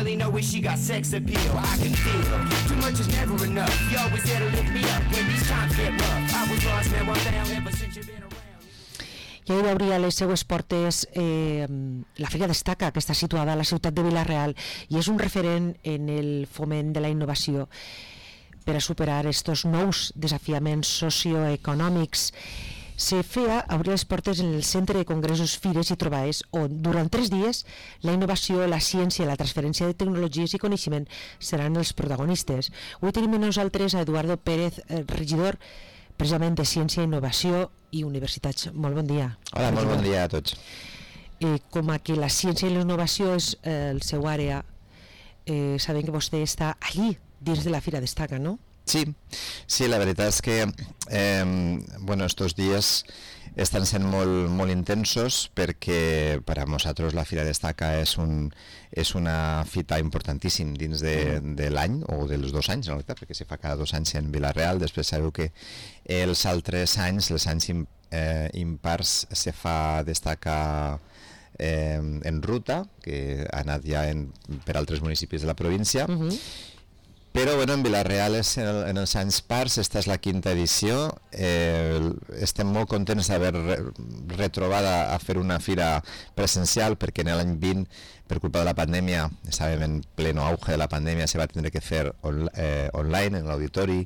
really know if she got sex appeal. I can feel too much is never enough. You always there to lift me up when these times get rough. I was lost, now I'm found ever since you've been around. I ahir obria les seues portes la Fira Destaca, que està situada a la ciutat de Vila-real i és un referent en el foment de la innovació per a superar estos nous desafiaments socioeconòmics. Se feia obrir les portes en el Centre de Congressos, Fires i Trobades, on durant 3 dies la innovació, la ciència i la transferència de tecnologies i coneixement seran els protagonistes. Avui tenim amb nosaltres a Eduardo Pérez, regidor precisament de Ciència, Innovació i Universitats. Molt bon dia. Hola, molt bon dia a tots. Com que la ciència i la innovació és el seu àrea, sabem que vostè està allí, dins de la Fira Destaca, no? Sí, la veritat és que estos dies estan sent molt intensos perquè per a nosaltres la Fira Destaca és una fita importantíssim dins de l'any o dels 2 anys, en realitat, perquè se fa cada 2 anys en Vila-real. Després sabeu que els altres anys, els anys impars, se fa Destaca en ruta, que ha anat ja per altres municipis de la província. Però en Vila-real en els anys pars, esta és la 5ª edició. Estem molt contents d'haver retrobat a fer una fira presencial, perquè en l'any 20, per culpa de la pandèmia, estàvem en pleno auge de la pandèmia, se va tindre que fer online, en l'auditori,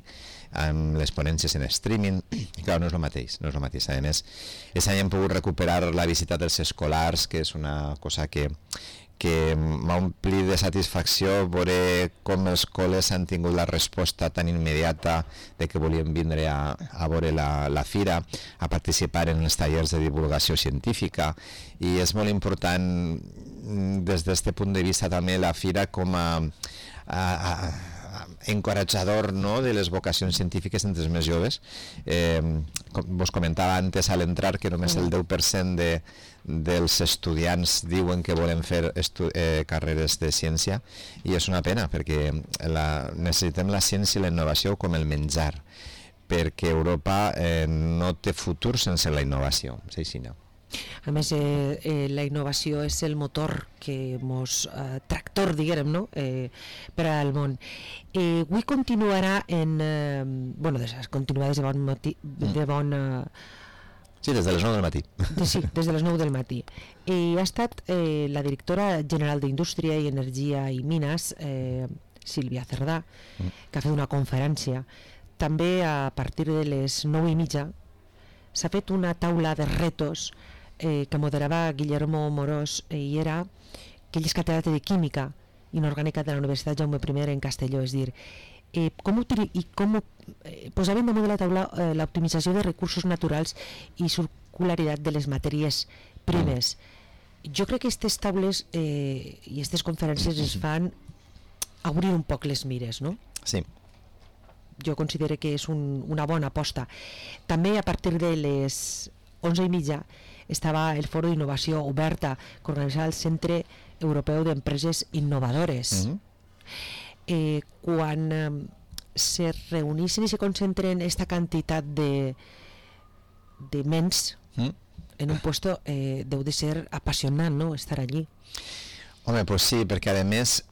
amb les ponències en streaming, i clar, no és el mateix. A més, aquest any hem pogut recuperar la visita dels escolars, que és una cosa que m'ha omplit de satisfacció veure com els col·les han tingut la resposta tan immediata de que volien vindre a veure la fira, a participar en els tallers de divulgació científica, i és molt important des d'aquest punt de vista també la fira com a encoratjador, no?, de les vocacions científiques entre els més joves. Vos comentava antes a l'entrar que només el 10% dels estudiants diuen que volen fer carreres de ciència, i és una pena perquè necessitem la ciència i la innovació com el menjar, perquè Europa no té futur sense la innovació. És així, no? A més, la innovació és el motor que tractor, diguem, no? Per al món. Avui continuarà continuarà des de bon matí, Sí, des de les 9 del matí. Sí, des de les 9 del matí. Ha estat la directora general d'Indústria i Energia i Mines, Sílvia Cerdà, que ha fet una conferència. També a partir de les 9:30 s'ha fet una taula de retos que moderava Guillermo Morós, i era que ell és catedràtic de Química Inorgànica de la Universitat Jaume I en Castelló. És dir, com posaven damunt de la taula l'optimització de recursos naturals i circularitat de les matèries primes. Jo crec que aquestes taules i aquestes conferències ens fan obrir un poc les mires, no? Sí. Jo considero que és una bona aposta. També a partir de les 11:30 estava el Foro d'Innovació Oberta que organitzava el Centre Europeu d'Empreses Innovadores. Quan se reuneixen i se concentren aquesta quantitat de ments en un puesto, deu de ser apassionant, no?, estar allí. Home, pues sí, perquè a més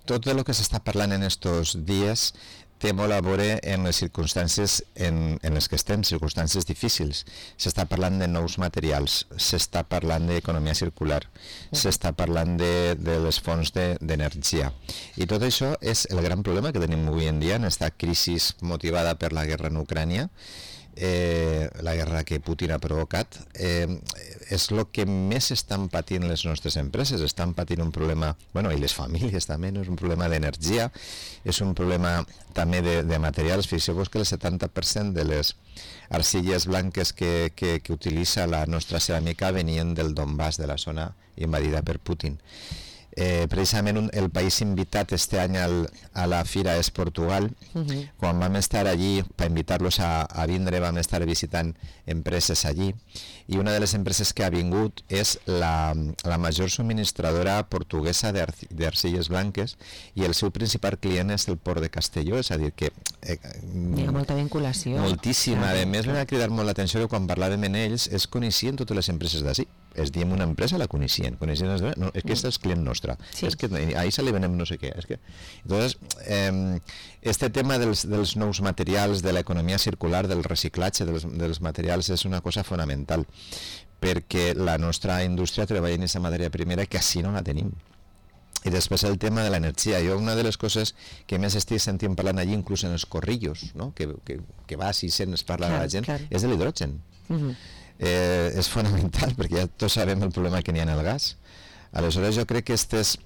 tot el que s'està parlant en estos dies té molt a veure en les circumstàncies en les que estem, circumstàncies difícils. S'està parlant de nous materials, s'està parlant d'economia circular, s'està parlant de les fonts d'energia. I tot això és el gran problema que tenim avui en dia en aquesta crisi motivada per la guerra en Ucrània, la guerra que Putin ha provocat. És el que més estan patint les nostres empreses, estan patint un problema, i les famílies també, no? És un problema d'energia, és un problema també de materials. Fixeu-vos que el 70% de les arcilles blanques que utilitza la nostra ceràmica venien del Donbass, de la zona invadida per Putin. Precisament el país invitat este any a la fira és Portugal. Quan vam estar allí per invitar-los a vindre, vam estar visitant empreses allí, i una de les empreses que ha vingut és la major subministradora portuguesa d'arcilles blanques, i el seu principal client és el port de Castelló. És a dir que hi ha molta vinculació, moltíssima. A més, m'ha cridat molt l'atenció que quan parlàvem amb ells es coneixien totes les empreses d'ací. es diem una empresa, la coneixien. No, és que és client nostre. Sí. És que ahí se li venem no sé què. És que... Entonces, este tema dels nous materials, de l'economia circular, del reciclatge dels materials és una cosa fonamental, perquè la nostra indústria treballa en aquesta matèria primera que així no la tenim. I després el tema de l'energia. Jo una de les coses que més estic sentint parlant allí, inclús en els corrillos, no? que vas i sents parlar a la gent, és de l'hidrogen. És fonamental, perquè ja tots sabem el problema que n'hi ha en el gas. Aleshores jo crec que estes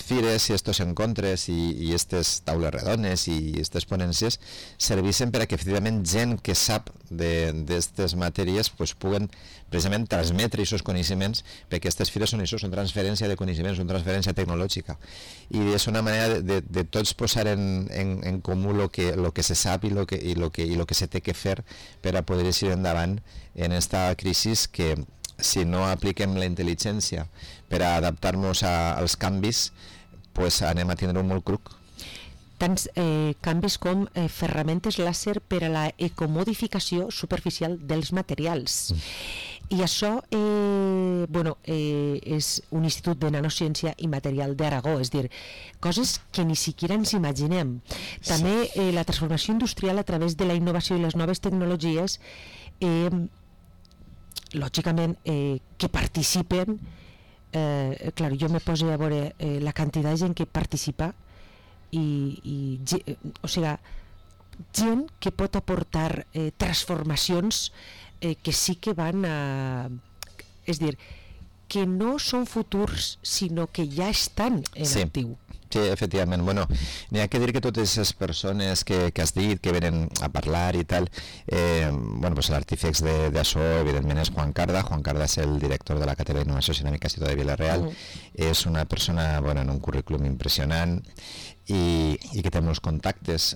fires i estos encontres i estes taules redones i estes ponències serveixen per a que efectivament gent que sap d'aquestes matèries pues, puguen precisament transmetre aquests coneixements, perquè aquestes fires són això, són transferència de coneixements, són transferència tecnològica, i és una manera de tots posar en comú lo que se sap i lo que se té que fer per a poder eixir endavant en esta crisi que si no apliquem la intel·ligència per a adaptar-nos als canvis, pues anem a tindre un molt cruc. Tants canvis com ferramentes làser per a la ecomodificació superficial dels materials. I això és un institut de nanociència i material d'Aragó, és dir, coses que ni siquiera ens imaginem. També la transformació industrial a través de la innovació i les noves tecnologies, lògicament que participen, clar, jo me poso a veure la quantitat de gent que participa o sigui, gent que pot aportar transformacions que sí que van a... És dir, que no són futurs, sinó que ja estan en actiu. Sí, efectivament. Bueno, n'hi ha que dir que totes les persones que has dit, que venen a parlar i tal, pues l'artífex d'això, evidentment, és Juan Carda. Juan Carda és el director de la Cátedra d'Innovació Ceràmica Ciutat de Vila-real. És una persona en un currículum impressionant i que té molts contactes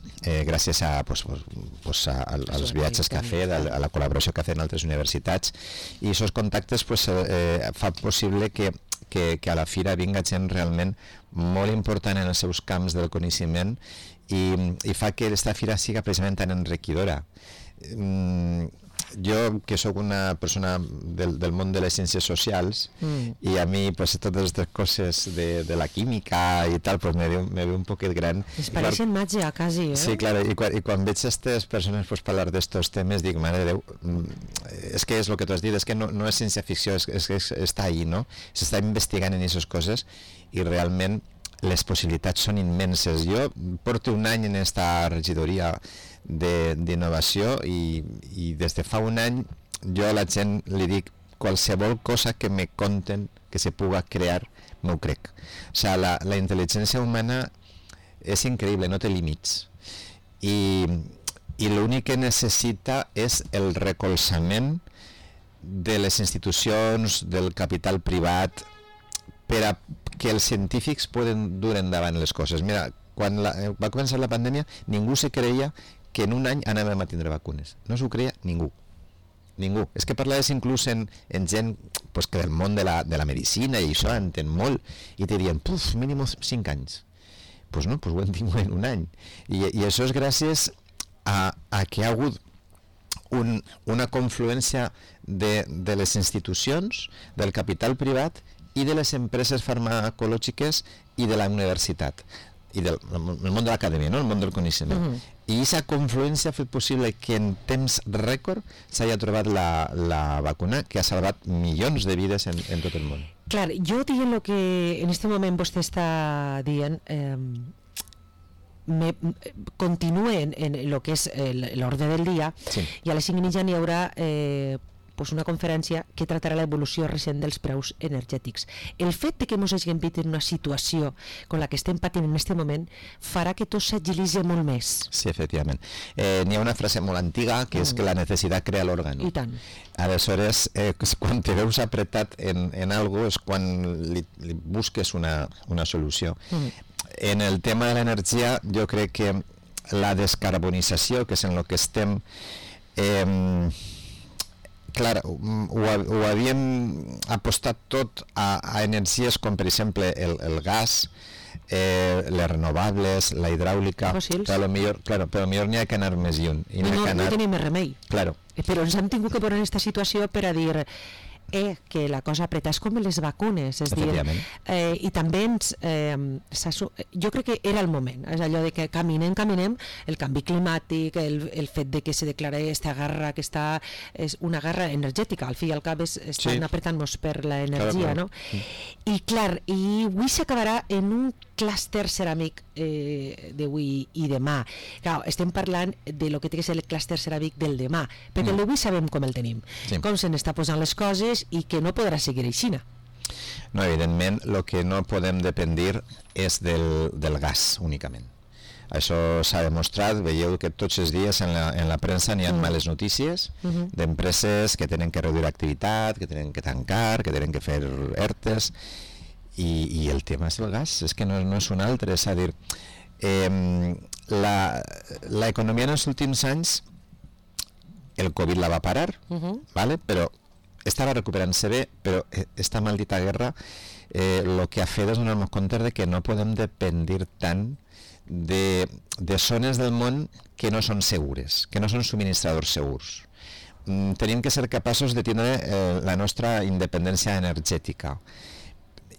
gràcies als viatges que ha fet, a la col·laboració que ha fet en altres universitats, i aquests contactes fa possible que a la fira vinga gent realment molt important en els seus camps del coneixement i fa que aquesta fira siga precisament tan enriquidora. Jo, que sóc una persona del món de les ciències socials i a mi pues, totes aquestes coses de la química i tal pues, me ve un poquet gran. Es pareixen màgia, quasi, Sí, clar, i quan veig aquestes persones pues, parlar d'estos temes dic, mare de Déu, és que és el que tu has dit, és que no és ciència-ficció, és que està ahí, no? S'està investigant en aquestes coses i realment les possibilitats són immenses. Jo porto un any en esta regidoria d'innovació i des de fa un any jo a la gent li dic qualsevol cosa que me conten que se puga crear, m'ho crec. O sigui, la intel·ligència humana és increïble, no té límits i l'únic que necessita és el recolzament de les institucions, del capital privat, per a que els científics poden dur endavant les coses. Mira, quan va començar la pandèmia ningú se creia que en un any anàvem a tindre vacunes. No s'ho creia ningú. Ningú. És que parlaves inclús en gent pues, que del món de la medicina i això entén molt i te dirien, mínim 5 anys. Pues no, pues ho hem tingut en un any. I això és gràcies a que hi ha hagut una confluència de les institucions, del capital privat i de les empreses farmacològiques i de la universitat i del món de l'acadèmia, no? El món del coneixement. I aquesta confluència ha fet possible que en temps rècord s'hagi trobat la vacuna que ha salvat milions de vides en tot el món. Clar, jo dient el que en aquest moment vostè està dient, continue en el que és l'ordre del dia, sí. I a les 5:30 n'hi haurà una conferència que tractarà l'evolució recent dels preus energètics. El fet de que ens hàgim vist en una situació com la que estem patint en aquest moment farà que tot s'agilitzi molt més. Sí, efectivament. N'hi ha una frase molt antiga que és que la necessitat crea l'òrgan. I tant. Aleshores, quan te veus apretat en algo és quan li busques una solució. En el tema de l'energia, jo crec que la descarbonització, que és en el que estem... Clar, ho havíem apostat tot a energies com per exemple el gas, les renovables, la hidràulica, però millor n'hi ha que anar més lluny. No tenim més remei. Claro. Però ens hem tingut que posar en aquesta situació per a dir que la cosa apreta, és com les vacunes, és dir, i també jo crec que era el moment, és allò de que caminem, el canvi climàtic, el fet de que se declara aquesta guerra, que és una guerra energètica, al fi i al cap estan apretant-nos per l'energia, no? I clar, i avui s'acabarà en un clúster ceràmic d'avui i demà. Clar, estem parlant de lo que té que ser el clúster ceràmic del demà, perquè el d'avui sabem com el tenim, com se n'està posant les coses i que no podrà seguir així. No, evidentment, el que no podem dependre és del gas únicament. Això s'ha demostrat, veieu que tots els dies en la premsa n'hi ha males notícies d'empreses que tenen que reduir l'activitat, que tenen que tancar, que tenen que fer ERTEs, i el tema és el gas, és que no és un altre, és a dir, l'economia en els últims anys, el Covid la va parar, ¿vale? Però estava recuperant-se bé, però esta maldita guerra el que ha fet és donar-nos compte de que no podem dependre tant de zones del món que no són segures, que no són subministradors segurs. Tenim que ser capaços de tindre la nostra independència energètica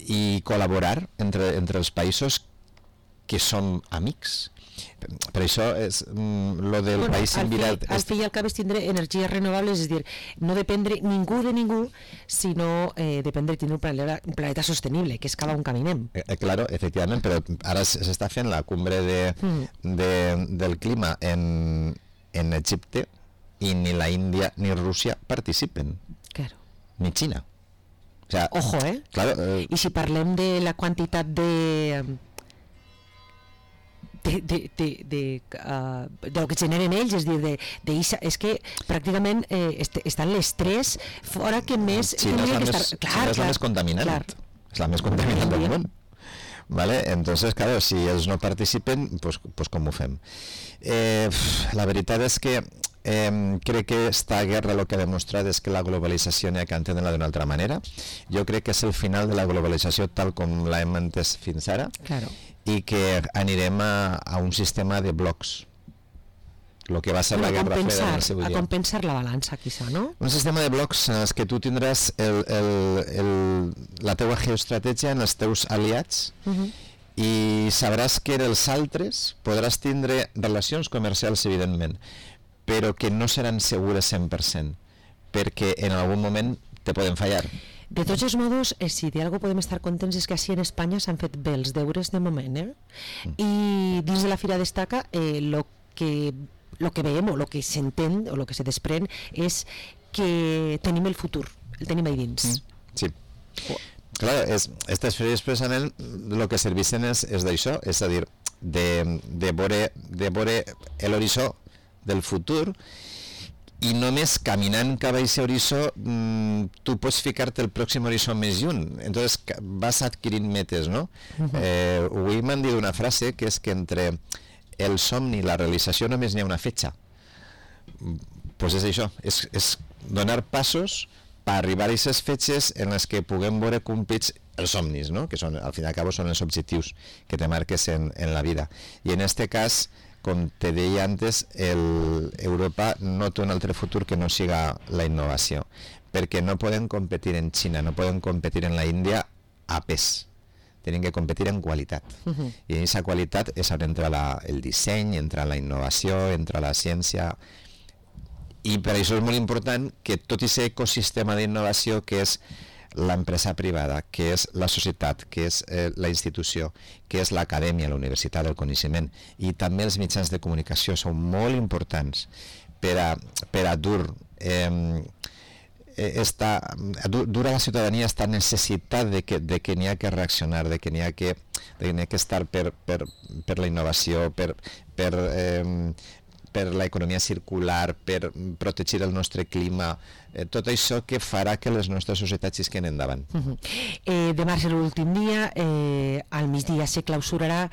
i col·laborar entre els països que som amics. Per això és lo del país envirat. Al fi i al cap és tindre energies renovables, és dir, no dependre ningú de ningú, sinó dependre de tindre un planeta sostenible, que és cada on caminem. Claro, efectivament, però ara s'està fent la cumbre del clima en Egipte i ni la Índia ni Rússia participen. Claro. Ni Xina. O sea, ojo, claro, i si parlem de la quantitat de lo que generen ells, és dir, és que pràcticament estan les tres fora que més... Xina és la més contaminant, és la més contaminant del món. ¿Vale? Entonces, claro, si ells no participen, pues com ho fem? La veritat és que crec que esta guerra lo que ha demostrat és que la globalització n'hi ha que entendre-la d'una altra manera. Jo crec que és el final de la globalització tal com l'hem entès fins ara, i que anirem a un sistema de blocs, el que va ser la Guerra Freda en el seu dia. A compensar la balança, quizá, no? Un sistema de blocs en els que tu tindràs la teua geoestratègia en els teus aliats, i sabràs que els altres podràs tindre relacions comercials, evidentment, però que no seran segures 100%, perquè en algun moment te poden fallar. De tots els modos, si d'algú podem estar contents és que així en Espanya s'han fet bé els deures de moment, i dins de la Fira Destaca lo que veiem o el que s'entén o el que se desprèn és que tenim el futur, el tenim ahí dins. Sí. Clar, aquestes fires precisament el que serveixen és d'això, és a dir, de veure l'horitzó del futur, i només caminant cap a aquest horitzó tu pots ficar-te el pròxim horitzó més lluny, entonces vas adquirint metes, no? Avui m'han dit una frase que és que entre el somni i la realització només n'hi ha una fetge. Pues és això, és donar passos per arribar a aquestes fetges en les que puguem veure complits els somnis, no? Que són, al fin i al cabo són els objectius que te marques en la vida. I en este cas, com te deia antes, Europa no té un altre futur que no siga la innovació, perquè no poden competir en Xina, no poden competir en la Índia a pes, tenen que competir en qualitat, i en aquesta qualitat és on entra el disseny, entra la innovació, entra la ciència, i per això és molt important que tot aquest ecosistema d'innovació que és l'empresa privada, que és la societat, que és la institució, que és l'acadèmia, la universitat, el coneixement, i també els mitjans de comunicació són molt importants per a dur a la ciutadania esta necessitat de que n'hi ha que reaccionar, de que n'hi ha que estar per la innovació, per l'economia circular, per protegir el nostre clima, tot això que farà que les nostres societats isquen endavant. Demà serà l'últim dia, al migdia se clausurarà,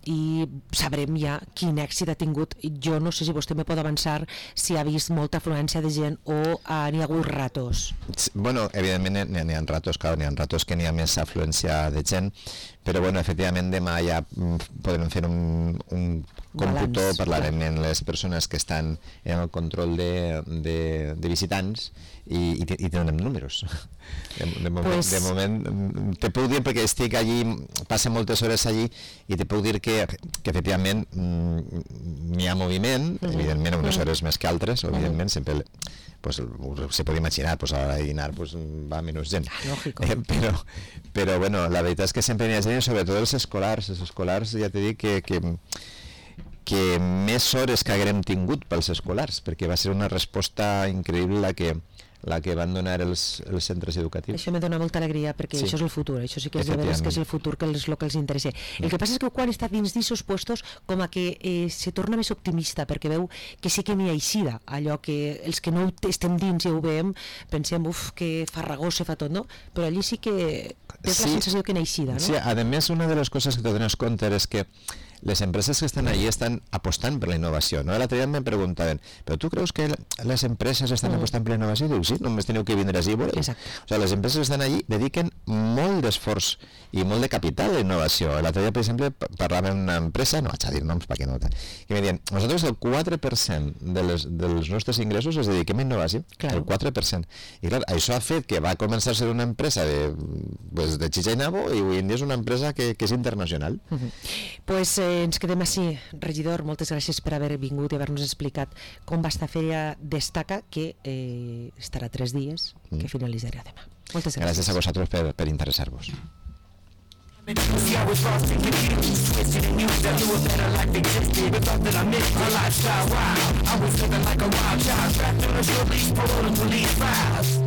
i sabrem ja quin èxit ha tingut. Jo no sé si vostè me pot avançar si ha vist molta afluència de gent o n'hi ha hagut ratos. Bueno, evidentment n'hi ha ratos, clar, n'hi ha ratos que n'hi ha més afluència de gent, però bueno, efectivament demà ja podrem fer un còmputo, parlarem amb les persones que estan en el control de de visitants i tenen números. De moment te puc dir, perquè estic allí, passo moltes hores allí, i te puc dir que efectivament n'hi ha moviment, evidentment a unes hores més que altres, evidentment sempre pues, se pot imaginar, pues, a dinar pues, va menys gent, però bueno, la veritat és que sempre n'hi ha gent, sobretot els escolars ja t'he dit que més hores que haguem tingut pels escolars, perquè va ser una resposta increïble la que van donar els centres educatius. Això me dona molta alegria, perquè això és el futur, això sí que és de veres que és el futur, que és el que els interessa. El que passa és que quan està dins d'aquests puestos, com a que se torna més optimista, perquè veu que sí que n'hi ha eixida, allò que els que no estem dins ja ho veiem, pensem, que farragós se fa tot, no? Però allí sí que tens la sensació que n'hi ha eixida, no? Sí, a més, una de les coses que te dones compte és que les empreses que estan allí estan apostant per la innovació, no? L'altre dia em preguntaven, però tu creus que les empreses estan apostant per la innovació? Diu, sí, només teniu que vindre així i veureu. O sigui, les empreses que estan allí dediquen molt d'esforç i molt de capital a la innovació. L'altre dia, per exemple, parlava amb una empresa, no vaig a dir noms perquè no, que me diuen, nosaltres el 4% dels nostres ingressos es dediquem a innovació, el 4%. I clar, això ha fet que va començar a ser una empresa de xitxa i nabo, i avui en dia és una empresa que és internacional. Pues ens quedem així, regidor, moltes gràcies per haver vingut i haver-nos explicat com va estar Fèria Destaca, que estarà 3 dies, que finalitzarà demà. Moltes gràcies. Gràcies a vosaltres per interessar-vos. See, I was lost and confused, twisted and used. I knew a better life existed, but thought that I missed my lifestyle. Wow, I was living like a wild child, trapped on a short leash, parole and police files.